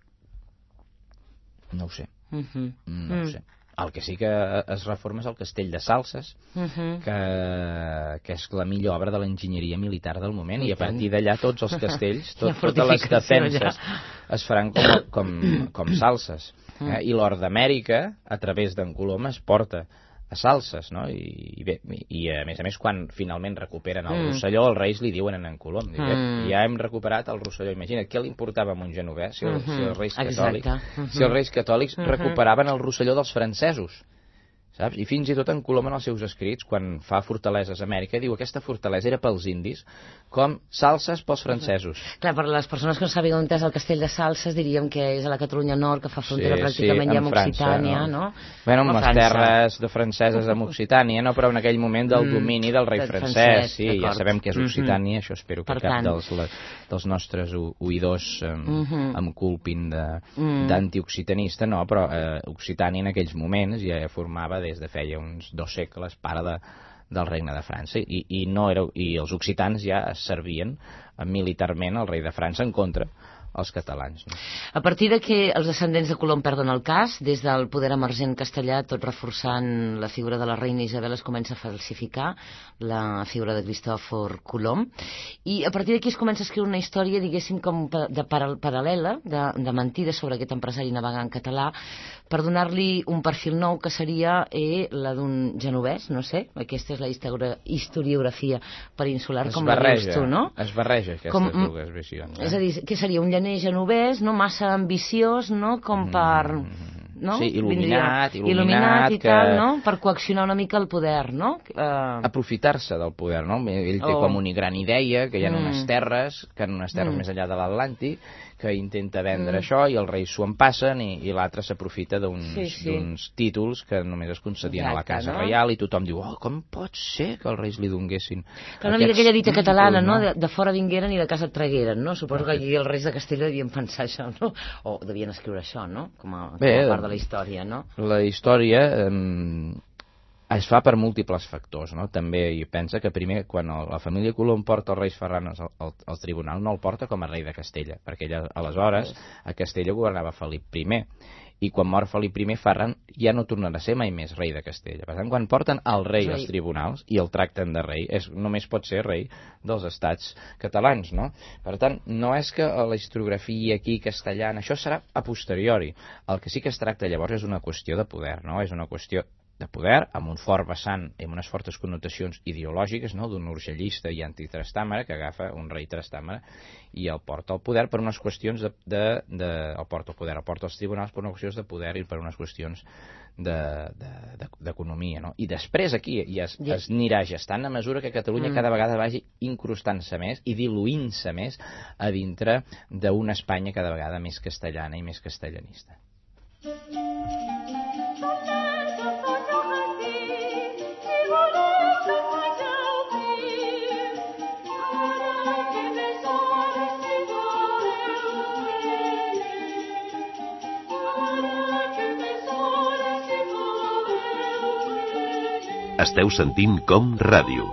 No ho sé. No ho sé. El que sí que es reforma és el castell de Salses, que és la millor obra de l'enginyeria militar del moment, i a partir d'allà tots els castells, totes les defenses es faran com Salses. I l'or d'Amèrica, a través d'en Colom, es porta a Salses, no? I a més, quan finalment recuperen el Rosselló, els reis li diuen a en Colom, ja hem recuperat el Rosselló. Imagina't, què li importava a un genovès si els reis catòlics recuperaven el Rosselló dels francesos, saps? I fins i tot en Colom, en els seus escrits, quan fa fortaleses a Amèrica, diu que aquesta fortalesa era pels indis com Salses pels francesos. Clar, per les persones que no sàpiguen on és el castell de Salses, diríem que és a la Catalunya Nord, que fa frontera pràcticament ja amb Occitània, no? Bueno, amb les terres de franceses amb Occitània, no? Però en aquell moment del domini del rei francès, sí, ja sabem que és Occitània, això espero que cap dels nostres oïdors em culpin d'antioccitanista, no, però Occitània en aquells moments ja formava des de feia uns 2 segles part del regne de França, i els occitans ja servien militarment al rei de França en contra els catalans. No? A partir de que els descendents de Colom perden el cas, des del poder emergent castellà, tot reforçant la figura de la reina Isabel, es comença a falsificar la figura de Cristòfor Colom, i a partir d'aquí es comença a escriure una història, diguéssim, com paral·lela, de mentides sobre aquest empresari navegant català, per donar-li un perfil nou que seria la d'un genovès, no sé, aquesta és la historiografia peninsular, com la veus tu, no? Es barreja aquestes dues visions. És a dir, què seria un llaner genovès, no massa ambiciós, no? Com per... No? Sí, il·luminat i tal, no? Per coaccionar una mica el poder, no? Aprofitar-se del poder, no? Ell té com una gran idea, que hi ha unes terres, més enllà de l'Atlàntic, que intenta vendre això, i els reis s'ho empassen, i l'altre s'aprofita d'uns títols que només es concedien a la casa reial, i tothom diu, com pot ser que els reis li donguessin una mica aquella dita catalana, no? De fora vingueren i de casa et tragueren, no? Suposo que aquí els reis de Castella devien pensar això, no? O devien escriure això, no? Com a part de la història, no? La història es fa per múltiples factors, no? També hi pensa que primer, quan la família Colom porta els reis Ferranes al tribunal, no el porta com a rei de Castella, perquè aleshores a Castella governava Felip I, i quan mor Felip I, Ferran ja no tornarà a ser mai més rei de Castella. Per tant, quan porten el rei als tribunals i el tracten de rei, només pot ser rei dels estats catalans, no? Per tant, no és que la historiografia aquí castellana, això serà a posteriori. El que sí que es tracta llavors és una qüestió de poder, no? És una qüestió de poder, amb un fort vessant i amb unes fortes connotacions ideològiques, no? D'un urgellista i antitrastàmara que agafa un rei trastàmara i el porta al poder per unes qüestions el porta als tribunals per unes qüestions de poder i per unes qüestions d'economia, no? I després aquí es anirà gestant a mesura que Catalunya cada vegada vagi incrustant-se més i diluint-se més a dintre d'una Espanya cada vegada més castellana i més castellanista. Esteu sentint Com Ràdio.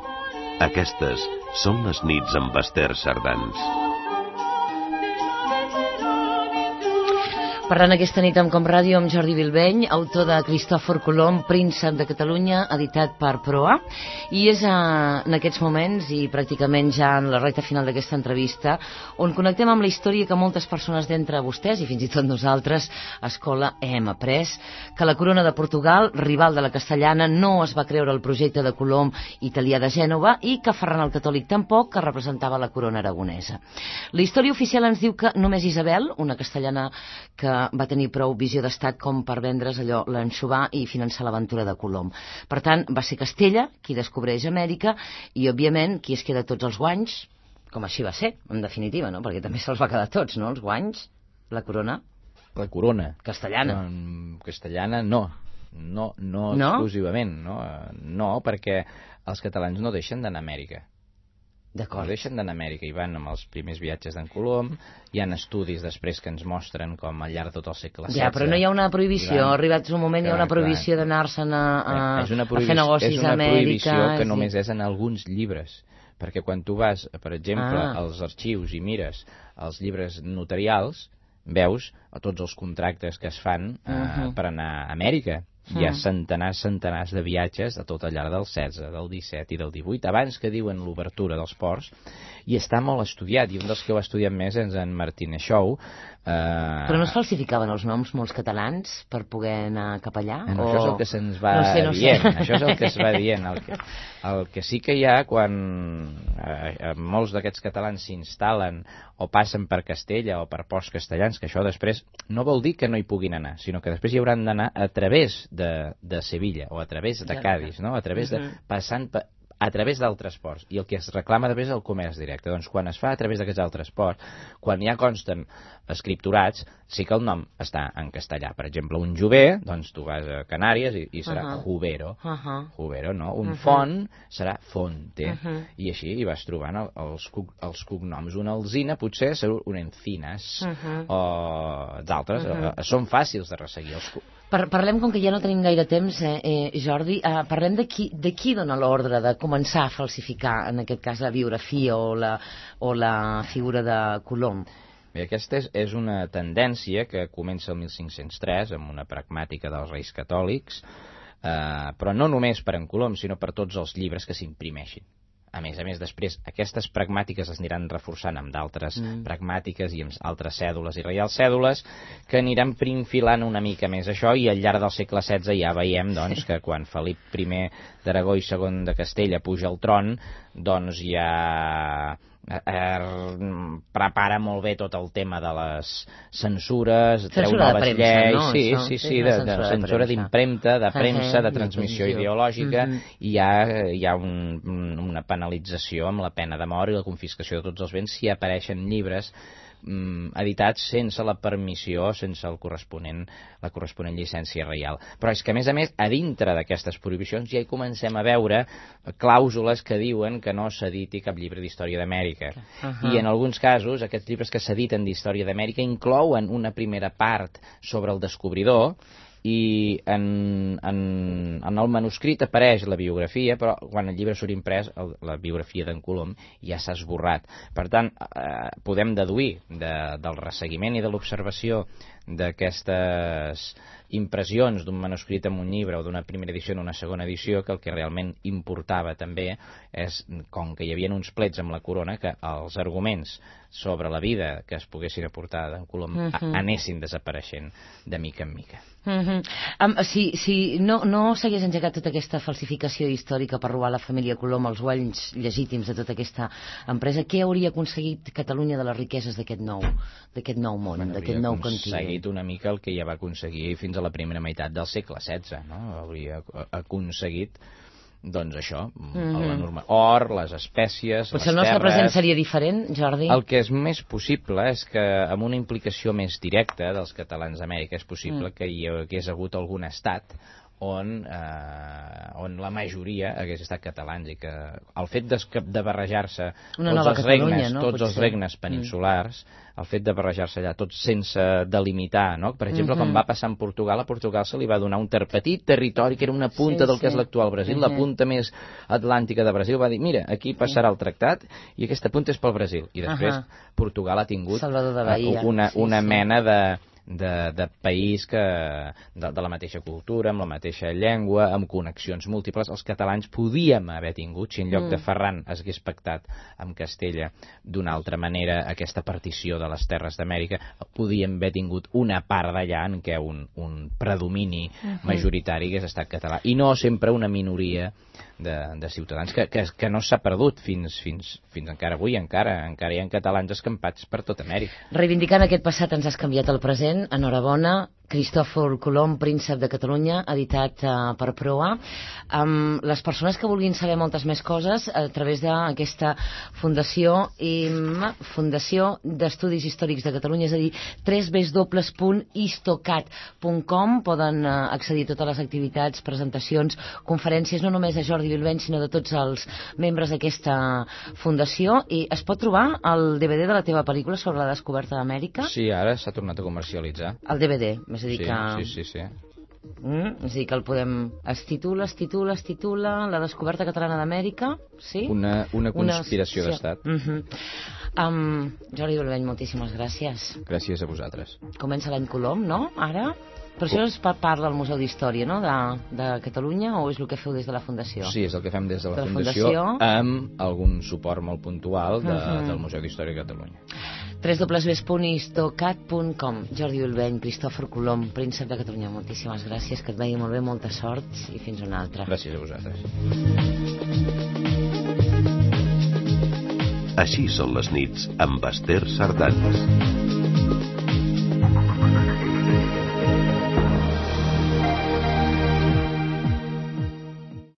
Aquestes són les nits amb Esther Sardans. Parlant aquesta nit amb Com Ràdio amb Jordi Bilbeny, autor de Cristòfor Colom, Príncep de Catalunya, editat per Proa, i és en aquests moments i pràcticament ja en la recta final d'aquesta entrevista on connectem amb la història que moltes persones d'entre vostès i fins i tot nosaltres a escola hem après, que la corona de Portugal, rival de la castellana, no es va creure el projecte de Colom italià de Gènova i que Ferran el Catòlic tampoc, que representava la corona aragonesa. La història oficial ens diu que només Isabel, una castellana que va tenir prou visió d'estat com per vendre's allò, l'anxovar i finançar l'aventura de Colom. Per tant, va ser Castella qui descobreix Amèrica i, òbviament, qui es queda tots els guanys, com així va ser, en definitiva, no? Perquè també se'ls va quedar tots, no?, els guanys, la corona. La corona. Castellana. Castellana no exclusivament, no? No, perquè els catalans no deixen d'anar a Amèrica. D'acord. No deixen d'anar a Amèrica i van amb els primers viatges d'en Colom. Hi ha estudis després que ens mostren com al llarg de tot el segle XVI... Ja, però no hi ha una prohibició, arribats un moment hi ha una prohibició d'anar-se'n a fer negocis a Amèrica... És una prohibició que només és en alguns llibres, perquè quan tu vas, per exemple, als arxius i mires els llibres notarials, veus tots els contractes que es fan per anar a Amèrica. Hi ha centenars de viatges a tot al llarg del 16, del 17 i del 18, abans que diuen l'obertura dels ports, i està molt estudiat, i un dels que ho ha estudiat més és en Martínez Xou. Però no es falsificaven els noms molts catalans per poder anar cap allà? Això és el que se'ns va dient, això és el que es va dient. El que sí que hi ha, quan molts d'aquests catalans s'instal·len o passen per Castella o per ports castellans, que això després no vol dir que no hi puguin anar, sinó que després hi hauran d'anar a través de Sevilla o a través de Cádiz, no? A través de a través d'altres ports, i el que es reclama després és el comerç directe. Doncs quan es fa a través d'aquests altres ports, quan ja consten escripturats, sí que el nom està en castellà. Per exemple, un jover, doncs tu vas a Canàries i serà Jubero, Jubero, no? Un font serà Fonte, i així hi vas trobant els cognoms. Una alzina potser serà un Encinas, o d'altres, són fàcils de resseguir. Parlem, com que ja no tenim gaire temps, Jordi, parlem de qui dona l'ordre de començar a falsificar, en aquest cas, la biografia o la figura de Colom. Bé, aquesta és una tendència que comença el 1503 amb una pragmàtica dels Reis Catòlics, però no només per en Colom, sinó per tots els llibres que s'imprimeixin. A més, després, aquestes pragmàtiques es aniran reforçant amb d'altres pragmàtiques i amb altres cèdules i reials cèdules que aniran prinfilant una mica més això, i al llarg del segle XVI ja veiem doncs, que quan Felip I d'Aragó i II de Castella puja al tron, doncs ja prepara molt bé tot el tema de les censures, treu noves lleis, no? Sí, de censura d'impremta, de premsa, de transmissió ideològica, i hi ha una penalització amb la pena de mort i la confiscació de tots els béns si apareixen llibres editats sense la permissió, sense la corresponent llicència reial. Però és que, a més, a dintre d'aquestes prohibicions ja hi comencem a veure clàusules que diuen que no s'editi cap llibre d'història d'Amèrica. I en alguns casos, aquests llibres que s'editen d'història d'Amèrica inclouen una primera part sobre el descobridor, i en el manuscrit apareix la biografia, però quan el llibre surt imprès, la biografia d'en Colom ja s'ha esborrat. Per tant, podem deduir del resseguiment i de l'observació d'aquestes impressions d'un manuscrit en un llibre o d'una primera edició en una segona edició, que el que realment importava també és, com que hi havia uns plets amb la corona, que els arguments sobre la vida que es poguessin aportar d'en Colom anessin desapareixent de mica en mica. Si no s'hagués engegat tota aquesta falsificació històrica per robar la família Colom els guanys legítims de tota aquesta empresa, què hauria aconseguit Catalunya de les riqueses d'aquest nou món, d'aquest nou continent? Hauria aconseguit una mica el que ja va aconseguir fins a la primera meitat del segle XVI, no? Hauria aconseguit, doncs això, or, les espècies, potser el nostre present seria diferent, Jordi? El que és més possible és que amb una implicació més directa dels catalans d'Amèrica és possible que hi hagués hagut algun estat on la majoria hagués estat catalans, i que el fet de barrejar-se tots els regnes peninsulars, el fet de barrejar-se allà tots sense delimitar, no? Per exemple, quan va passar en Portugal, a Portugal se li va donar un petit territori que era una punta del que és l'actual Brasil, la punta més atlàntica de Brasil, va dir, mira, aquí passarà el tractat i aquesta punta és pel Brasil, i després Portugal ha tingut una mena de país de la mateixa cultura, amb la mateixa llengua, amb connexions múltiples. Els catalans podíem haver tingut, si en lloc de Ferran es hagués pactat amb Castella d'una altra manera aquesta partició de les terres d'Amèrica, podíem haver tingut una part d'allà en què un predomini majoritari hagués estat català, i no sempre una minoria de ciutadans, que no s'ha perdut fins encara avui, encara hi ha catalans escampats per tot Amèrica. Reivindicant aquest passat ens has canviat el present. Enhorabona. Cristòfor Colom, príncep de Catalunya, editat per Proa. Les persones que vulguin saber moltes més coses a través d'aquesta Fundació d'Estudis Històrics de Catalunya, és a dir, www.histocat.com, poden accedir a totes les activitats, presentacions, conferències, no només de Jordi Bilbeny, sinó de tots els membres d'aquesta fundació. I es pot trobar el DVD de la teva pel·lícula sobre la descoberta d'Amèrica? Sí, ara s'ha tornat a comercialitzar. El DVD, és a dir que... Sí. És a dir que el podem... Es titula La descoberta catalana d'Amèrica, sí? Una conspiració d'estat. Jordi Bilbeny, moltíssimes gràcies. Gràcies a vosaltres. Comença l'any Colom, no? Ara? Però això és part del Museu d'Història, no?, de Catalunya, o és el que feu des de la Fundació? Sí, és el que fem des de la Fundació, amb algun suport molt puntual del Museu d'Història de Catalunya. www.histocat.com. Jordi Bilbeny, Cristòfor Colom, príncep de Catalunya, moltíssimes gràcies, que et vagi molt bé, molta sort i fins una altra. Gràcies a vosaltres. Així són les nits amb Esther Sardanes.